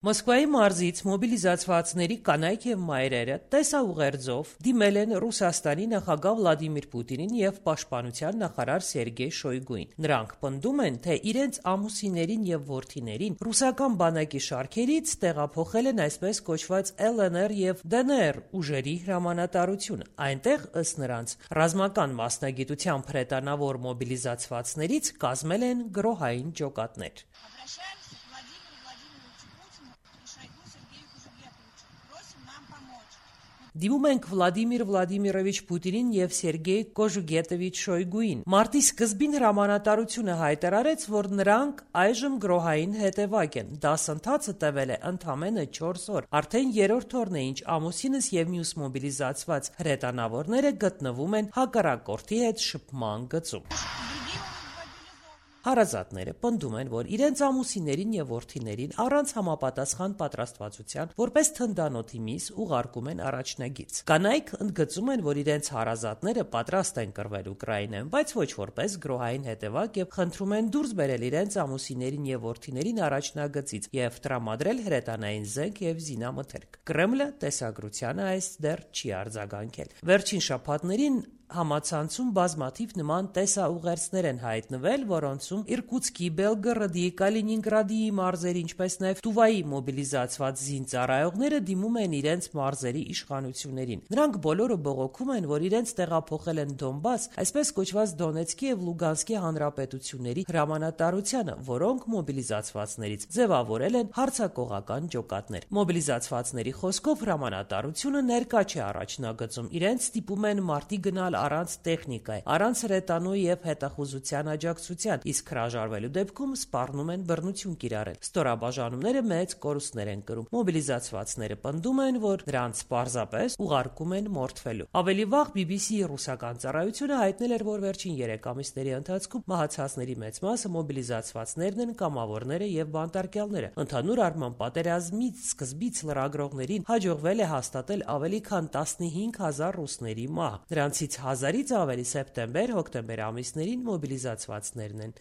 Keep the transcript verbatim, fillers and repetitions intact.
Մոսկվայի մարզից մոբիլիզացվածների կանայք եւ մայրերը տեսաուղերձով դիմել են Ռուսաստանի նախագահ Վլադիմիր Պուտինին եւ պաշտպանության նախարար Սերգեյ Շոյգուին։ Նրանք պնդում են, թե իրենց ամուսիններին եւ որդիներին ռուսական բանակի շարքերից տեղափոխել են այսպես կոչված Էլ Են Էր եւ Դե Են Էր ուժերի հրամանատարություն։ Այնտեղ, ըստ նրանց, ռազմական մասնագիտությամբ հրետանավոր մոբիլիզացվածներից կազմել են գրոհային ջոկատներ։ Դիմում ենք Վլադիմիր Վլադիմիրովիչ Պուտինին եւ Սերգեյ Կոժուգետովիչ Շոյգուին։ Մարտի սկզբին հրամանատարությունը հայտարարեց, որ նրանք այժմ գրոհային հետևակ են։ Դասընթացը տևել է ընդամենը չորս օր։ Արդեն երրորդ օրն է, ինչ ամուսինս եւ մյուս մոբիլիզացված հրետանավորները գտնվում են հակառակորդի հետ շփման գծում։ Հարազատները պնդում են, որ իրենց ամուսիններին եւ որդիներին առանց համապատասխան պատրաստվածության որպես թնդանոթի միս ուղարկում են առաջնագիծ։ Կանայք ընդգծում են, որ իրենց հարազատները պատրաստ են կռվել Ուկրաինայում, բայց ոչ որպես գրոհային հետևակ եւ խնդրում են դուրս բերել իրենց ամուսիններին եւ որդիներին առաջնագծից եւ տրամադրել հրետանային զենք եւ զինամթերք։ Կրեմլը տեսագրությանը այս դեռ չի արձագանքել։ Վերջին շաբաթներին համացանցում բազմաթիվ նման տեսաուղերձներ են հայտնվել, որոնցում Իրկուտսկի, Բելգորոդի, Կալինինգրադի մարզերի, ինչպես նաև Տուվայի մոբիլիզացված զինծառայողները դիմում են իրենց մարզերի իշխանություններին։ Նրանք բոլորը բողոքում են, որ իրենց տեղափոխել են Դոնբաս, այսպես կոչված Դոնեցկի եւ Լուգանսկի հանրապետությունների հրամանատարությանը, որոնք մոբիլիզացվածներից ձևավորել են հարձակողական ջոկատներ։ Մոբիլիզացվածների խոսքով հրամանատարությունը ներկա չէ առաջնագծում, իրենց ստիպում են մարտի գնալ առանց տեխնիկայի, առանց հրետանու եւ հետախուզության աջակցության, իսկ հրաժարվելու դեպքում սպառնում են բռնություն կիրառել։ Ստորաբաժանումները մեծ կորուստներ են կրում։ Մոբիլիզացվածները պնդում են, որ նրանց պարզապես ուղարկում են մորթվելու։ Ավելի վաղ բի բի սի-ի ռուսական ծառայությունը հայտնել էր, որ վերջին երեք ամիսների ընթացքում մահացածների մեծ մասը մոբիլիզացվածներն են, կամավորները եւ բանտարկյալները։ Ընդհանուր առմամբ պատերազմից սկզբից լրագրողներին հաջողվել է հաստատել ավելի քան տասնհինգ հազար ռուսների մահ։ Նրանցից հազարից ավելի սեպտեմբեր-հոկտեմբեր ամիսներին մոբիլիզացվածներն են։